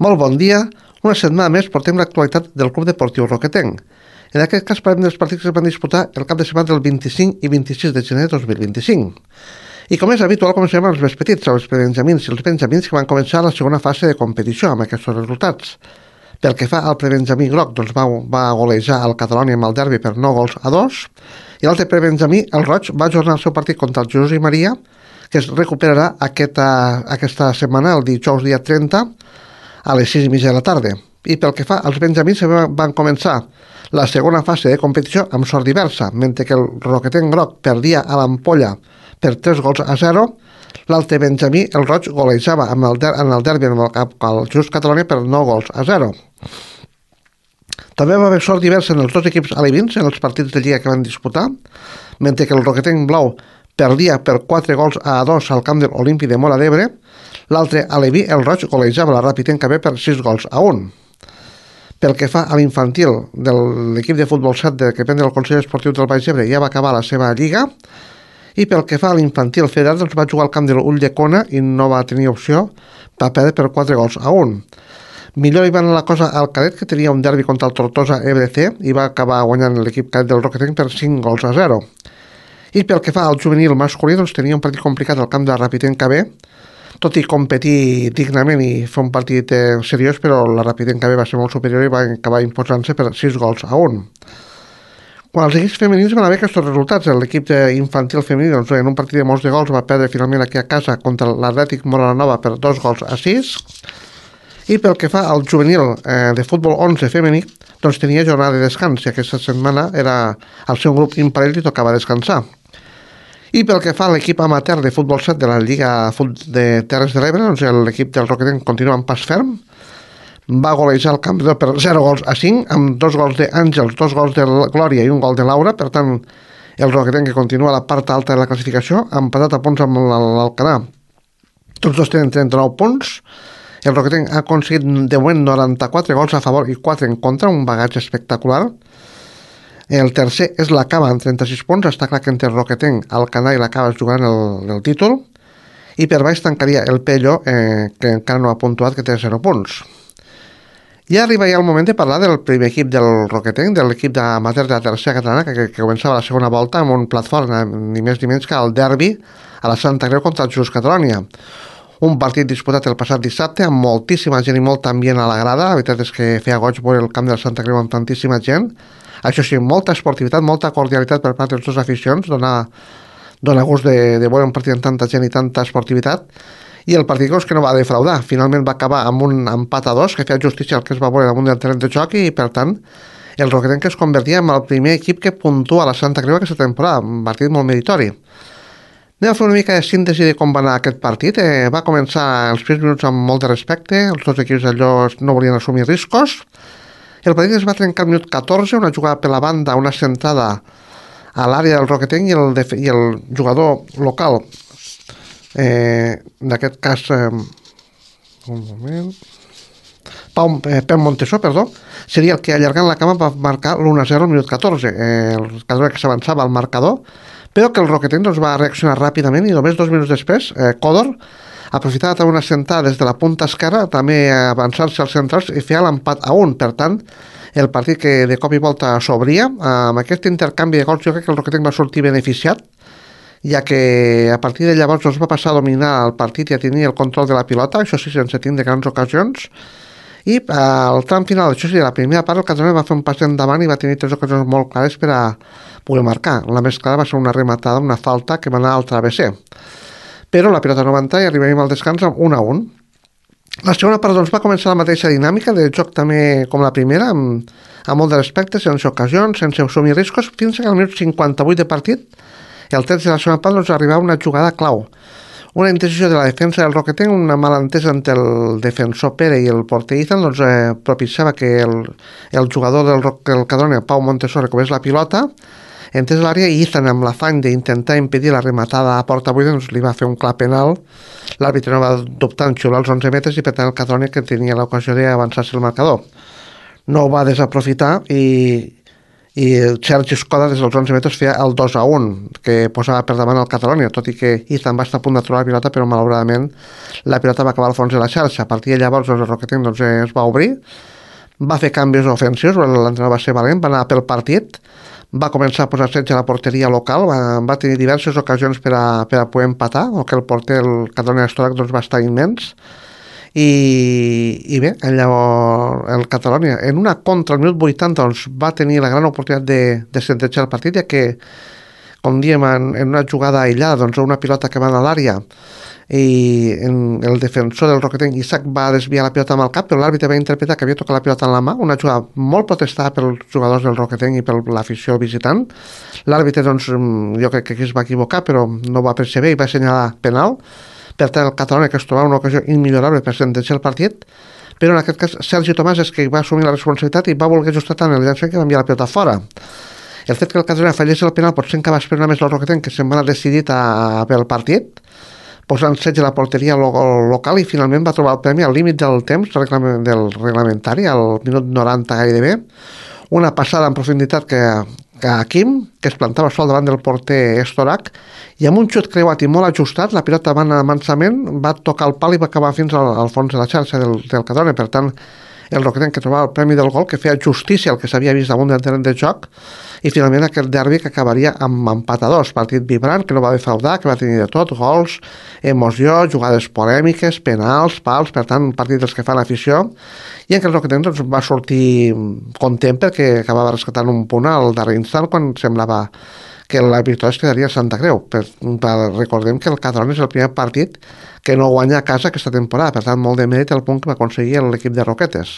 Molt bon dia. Una setmana més portem l'actualitat del Club Deportiu Roquetenc. En aquest cas parlem dels partits que es van disputar el cap de setmana del 25 i 26 de gener de 2025. I com és habitual, comencem amb els més petits, els prebenjamins i els benjamins que van començar la segona fase de competició amb aquests resultats. Pel que fa al prebenjamí groc, doncs va golejar el Catalònia amb el derbi per 9-2, i l'altre prebenjamí, el roig, va ajornar el seu partit contra el Jesús i Maria, que es recuperarà aquesta setmana, el dijous dia 30, a les 6:30 de la tarda. I pel que fa als benjamins, van començar la segona fase de competició amb sort diversa, mentre que el Roquetenc groc perdia a l'Ampolla per 3-0, l'altre benjamí, el roig, golejava en el derbi amb el Just Catalònia per 9-0. També va haver sort diversa en els dos equips alevins en els partits de lliga que van disputar, mentre que el Roquetenc blau perdia per 4-2 al camp de l'Olímpic de Móra d'Ebre. L'altre aleví, el roig, golejava la Ràpid KB per 6-1. Pel que fa a l'infantil de l'equip de futbol 7 que depèn del Consell Esportiu del Baix Ebre, ja va acabar la seva lliga. I pel que fa a l'infantil federat, doncs va jugar al camp de l'Ulldecona i no va tenir opció, va perdre per 4-1. Millor hi va anar la cosa al cadet, que tenia un derbi contra el Tortosa EBC i va acabar guanyant l'equip cadet del Roquetenc per 5-0. I pel que fa al juvenil masculí, doncs tenia un partit complicat al camp de la Ràpid KB, tot i competir dignament i fer un partit seriós, però la Ràpid KB va ser molt superior i va acabar imposant-se per 6-1. Quan els equips femenins van haver aquests resultats, l'equip infantil femení, doncs, en un partit de molts de gols, va perdre finalment aquí a casa contra l'Atlètic Moranova per 2-6. I pel que fa al juvenil de futbol 11 femení, doncs tenia jornada de descans, i aquesta setmana era el seu grup imparell i tocava descansar. I pel que fa a l'equip amateur de futbol 7 de la Lliga de Terres de l'Ebre, doncs l'equip del Roquetenc continua en pas ferm, va golejar el Campdor per 0-5, amb 2 gols d'Àngels, 2 gols de Glòria i un gol de Laura. Per tant, el Roquetenc, que continua a la part alta de la classificació, ha empatat a punts amb l'Alcanar. Tots dos tenen 39 punts. El Roquetenc ha aconseguit de moment 94 gols a favor i 4 en contra, un bagatge espectacular. El tercer és la Cava amb 36 punts. Està clar que entre el Roquetenc, Alcanar i la Cava es jugaran el títol. I per baix tancaria el Pello, que encara no ha puntuat, que té 0 punts. Ja arriba el moment de parlar del primer equip del Roquetenc, de l'equip d'amateur de la tercera catalana, que començava la segona volta amb un plat fort, ni més ni menys que el derbi a la Santa Creu contra el Just Catalònia. Un partit disputat el passat dissabte amb moltíssima gent i molt ambient a la grada. La veritat és que feia goig veure el camp de la Santa Creu amb tantíssima gent. Això sí, molta esportivitat, molta cordialitat per part dels dos aficions, dona gust de veure un partit amb tanta gent i tanta esportivitat. I el partit que no va defraudar. Finalment va acabar amb un empat a 2 que feia justícia al que es va veure damunt del terreny de joc, i per tant el Roquetenc es convertia en el primer equip que puntua a la Santa Creu aquesta temporada, un partit molt meritori. Anem a fer una mica de síntesi de com va anar aquest partit. Va començar els primers minuts amb molt de respecte, els dos equips allò no volien assumir riscos. El partit es va trencar al minut 14, una jugada per la banda, una centrada a l'àrea del Roquetenc, i el jugador local, d'aquest cas un moment, Pep Montesó, seria el que allargant la cama va marcar l'1-0 al minut 14. El Catalònia que s'avançava al marcador, però que el Roquetenc doncs, va reaccionar ràpidament, i només 2 minuts després Còdor aprofitava també una sentada des de la punta esquerra, també avançar-se als centrals i feia l'empat a 1. Per tant, el partit que de cop i volta s'obria. Amb aquest intercanvi de gols jo crec que el Roquetenc va sortir beneficiat, ja que a partir de llavors es va passar a dominar el partit i a tenir el control de la pilota, això sí, sense tindre grans ocasions. I al tram final, això sí, de la primera part, el Catalònia va fer un pas endavant i va tenir 3 ocasions molt clares per a poder marcar. La més clara va ser una rematada, una falta que va anar al travesser. Però la pilota no va entrar i arribarem al descans amb 1-1. La segona part doncs, va començar la mateixa dinàmica de joc també com la primera, amb molt de respecte, sense ocasions, sense assumir riscos, fins que al minut 58 de partit, el 13 de la segona part, doncs, arribava una jugada clau. Una indecisió de la defensa del Roquetenc, una malentesa entre el defensor Pere i el porter Izan, doncs, propiciava que el jugador del Catalònia, Pau Montesó, recobrés la pilota, entrés a l'àrea, i Izan, amb l'afany d'intentar impedir la rematada a porta buida, doncs, li va fer un clar penal. L'àrbitre no va dubtar en xiular els 11 metres, i per tant el Catalònia, que tenia l'ocasió d'avançar-se el marcador, no ho va desaprofitar, i i Sergi Escoda des dels 11 metres feia el 2-1 que posava per davant el Catalonia, tot i que Ethan va estar a punt de trobar la pilota, però malauradament la pilota va acabar al fons de la xarxa. A partir de llavors el Roquetenc es va obrir, va fer canvis ofensius, l'entrenador va ser valent, va anar pel partit, va començar a posar setge a la porteria local, va tenir diverses ocasions per a poder empatar, o que el porter, el Catalonia Estorac, va estar immens. I bé, llavors el Catalonia en una contra al minut 80 va tenir la gran oportunitat de sentejar el partit, ja que, com diem, en una jugada aïllada, una pilota que va a l'àrea i el defensor del Roquetenc, Isaac, va desviar la pilota amb el cap, però l'àrbitre va interpretar que havia tocat la pilota en la mà, una jugada molt protestada pels jugadors del Roquetenc i per l'afició visitant. L'àrbitre, jo crec que aquí es va equivocar, però no va percebre i va assenyalar penal. Per tant, el Catalonia, que es trobava una ocasió immillorable per sentenciar el partit, però en aquest cas Sergi Tomàs és que va assumir la responsabilitat i va voler ajustar tant el llançament que va enviar la pilota fora. El fet que el Catalonia fallés el penal potser encara va esperar més el Roquetenc, que se'n va anar decidit pel partit, posant setge a la porteria local, i finalment va trobar el premi al límit del temps del reglamentari, al minut 90 gairebé, una passada en profunditat que a Quim, que es plantava sol davant del porter Estorac, i amb un xut creuat i molt ajustat, la pilota va anar mansament, va tocar el pal i va acabar fins al fons de la xarxa del Catalonia. Per tant, el Roquetenc, que trobava el premi del gol, que feia justícia al que s'havia vist damunt del terreny de joc, i finalment aquest derbi que acabaria amb empat a 2, partit vibrant, que no va defraudar, que va tenir de tot, gols, emoció, jugades polèmiques, penals, pals, per tant, un partit dels que fan afició, i en què el Roquetenc va sortir content perquè acabava rescatant un punt al darrer instant, quan semblava que la victòria es quedaria a Santa Creu. Recordem que el Catalonia és el primer partit que no guanya a casa aquesta temporada, per tant, molt de mèrit el punt que va aconseguir l'equip de Roquetes.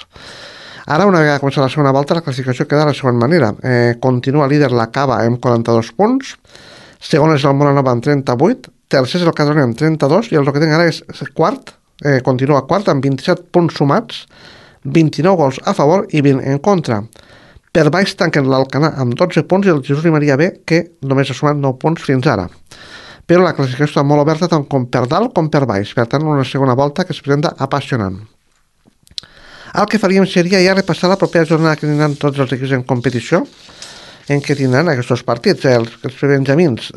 Ara, una vegada començat la segona volta, la classificació queda de la següent manera. Continua líder la Cava amb 42 punts, segon és el Molanova amb 38, tercer és el Catalonia amb 32, i el Roquetenc ara és quart, continua quart amb 27 punts sumats, 29 gols a favor i 20 en contra. Per baix tanquen l'Alcanar amb 12 punts i el Jesús i Maria B, que només ha sumat 9 punts fins ara. Però la classificació està molt oberta tant com per dalt com per baix, per tant una segona volta que es presenta apassionant. El que faríem seria ja repassar la propera jornada que tindran tots els equips en competició, en què tindran aquests partits. Els benjamins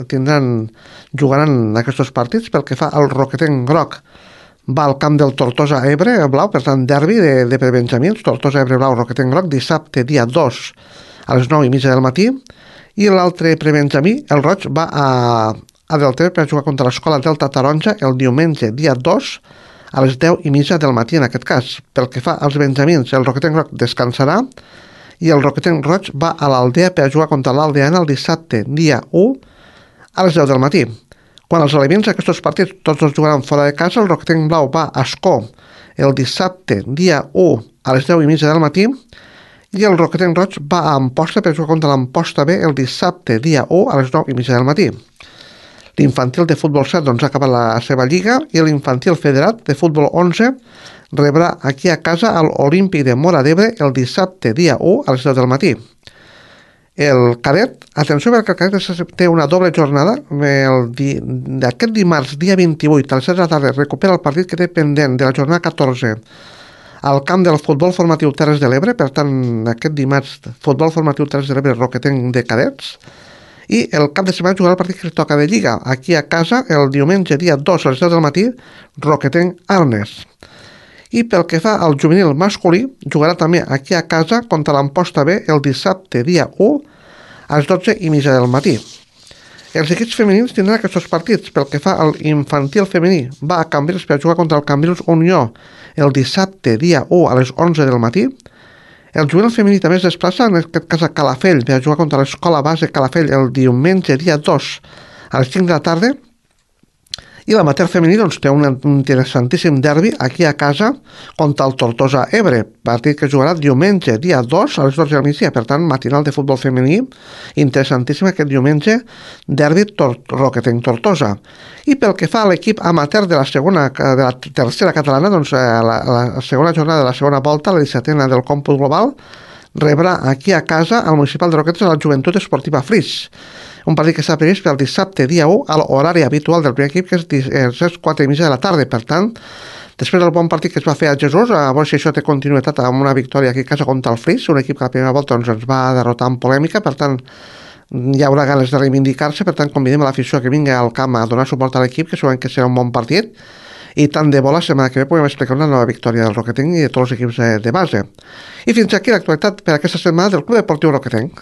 jugaran aquests partits. Pel que fa al Roquetenc groc, va al camp del Tortosa Ebre blau, per tant derbi de prebenjamins, Tortosa Ebre blau, Roquetenc groc, dissabte dia 2 a les 9:30 del matí, i l'altre prebenjamí, el roig, va a Deltebre per jugar contra l'Escola Delta Taronja el diumenge dia 2 a les 10:30 del matí. En aquest cas, pel que fa als benjamins, el Roquetenc groc descansarà i el Roquetenc roig va a l'Aldea per jugar contra l'Aldeana el dissabte dia 1 a les 10 del matí. Quan els alevins aquests partits tots els jugaran fora de casa, el Roquetenc blau va a Ascó el dissabte dia 1 a les 10:30 del matí i el Roquetenc roig va a Amposta per jugar contra l'Amposta B el dissabte dia 1 a les 9:30 del matí. L'infantil de futbol 7 ha acabat la seva lliga i l'infantil federat de futbol 11 rebrà aquí a casa l'Olímpic de Móra d'Ebre el dissabte dia 1 a les 10 del matí. El cadet, atenció perquè el cadet té una doble jornada, d'aquest dimarts dia 28 a les 7 de la tarda recupera el partit que té pendent de la jornada 14 al camp del futbol formatiu Terres de l'Ebre, per tant aquest dimarts futbol formatiu Terres de l'Ebre Roquetenc de cadets, i el cap de setmana jugarà el partit que toca de lliga aquí a casa el diumenge dia 2 a les 10 del matí Roquetenc Arnes. I pel que fa al juvenil masculí, jugarà també aquí a casa contra l'Amposta B el dissabte dia 1 a les 12:30 del matí. Els equips femenins tindran aquests partits. Pel que fa al infantil femení, va a Cambrils per jugar contra el Cambrils Unió el dissabte dia 1 a les 11 del matí. El juvenil femení també es desplaça, en aquest cas a Calafell, per jugar contra l'Escola Base Calafell el diumenge dia 2 a les 5 de la tarda. I l'amateur femení té un interessantíssim derbi aquí a casa contra el Tortosa Ebre, partit que jugarà diumenge dia 2 a les 12 del migdia, per tant matinal de futbol femení interessantíssim aquest diumenge, derbi Roquetenc Tortosa. I pel que fa a l'equip amateur de la tercera catalana, la segona jornada de la segona volta, la 17a del còmput global, rebrà aquí a casa al municipal de Roquetes a la Joventut Esportiva Flix. Un partit que està previst pel dissabte dia 1 a l'horari habitual del primer equip, que és les 4:30 de la tarda. Per tant, Després del bon partit que es va fer a Jesús, a veure si això té continuïtat amb una victòria aquí a casa contra el Flix, un equip que a la primera volta doncs, ens va derrotar en polèmica, per tant hi haurà ganes de reivindicar-se, per tant convidem a l'afició que vingui al camp a donar suport a l'equip, que segurament que serà un bon partit, i tant de bo la setmana que ve podem explicar una nova victòria del Roquetenc i de tots els equips de base. I fins aquí l'actualitat per aquesta setmana del Club Deportiu Roquetenc.